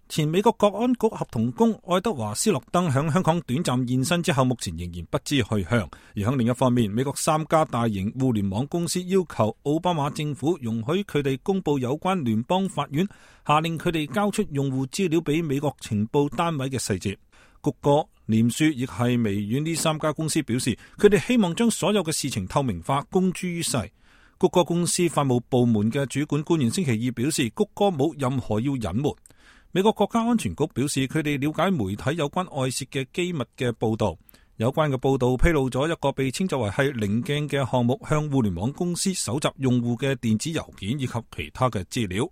前美國國安局合同工愛德華斯諾登響香港短暫現身之後，目前仍然不知去向。而響另一方面，美國3家大型互聯網公司要求奧巴馬政府容許佢哋公布有關聯邦法院下令佢哋交出用戶資料俾美國情報單位嘅細節。谷歌、臉書亦係微軟呢3家公司表示，佢哋希望將所有嘅事情透明化，公諸於世。谷歌公司法務部門嘅主管官員星期二表示，谷歌冇任何要隱瞞。美國國家安全局表示，佢哋了解媒體有關外泄嘅機密嘅報道，有關嘅報道披露咗一個被稱作為係稜鏡嘅項目，向互聯網公司搜集用戶嘅電子郵件以及其他嘅資料。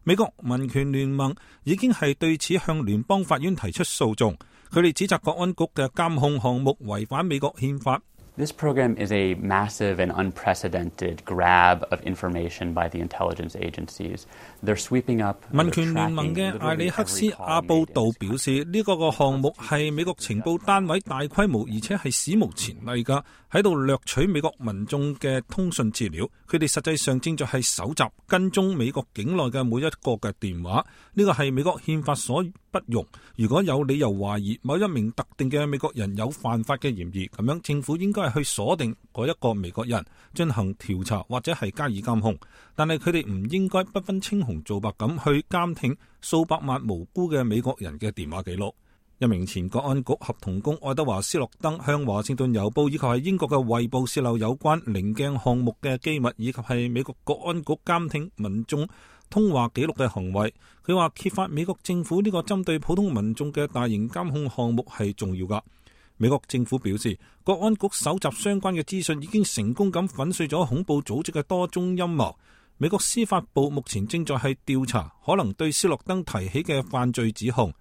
美國民權聯盟已經係對此向聯邦法院提出訴訟，佢哋指責國安局嘅監控項目違反美國憲法。This program is a massive and unprecedented grab of information by the intelligence agencies. They're sweeping up. 民權聯盟嘅艾里克斯阿布道表示，呢個項目係美國情報單位大規模而且係史無前例㗎，喺度掠取美國民眾嘅通訊資料。佢哋實際上正在係搜集跟蹤美國境內嘅每一個嘅電話。呢個係美國憲法所不容。如果有理由懷疑某一名特定嘅美國人有犯法嘅嫌疑，咁樣政府應該係去鎖定嗰一個美國人進行調查或者係加以監控。但係佢哋唔應該不分青紅皂白咁去監聽數百萬無辜嘅美國人嘅電話記錄。一名前國安局合同工愛德華斯諾登向華盛頓郵報以及係英國嘅衛報洩漏有關稜鏡項目嘅機密，以及係美國國安局監聽民眾通話記錄嘅行為。佢話揭發美國政府呢個針對普通民眾嘅大型監控項目係重要㗎。美國政府表示，國安局搜集相關嘅資訊已經成功咁粉碎咗恐怖組織嘅多宗陰謀。美國司法部目前正在係調查可能對斯諾登提起嘅犯罪指控，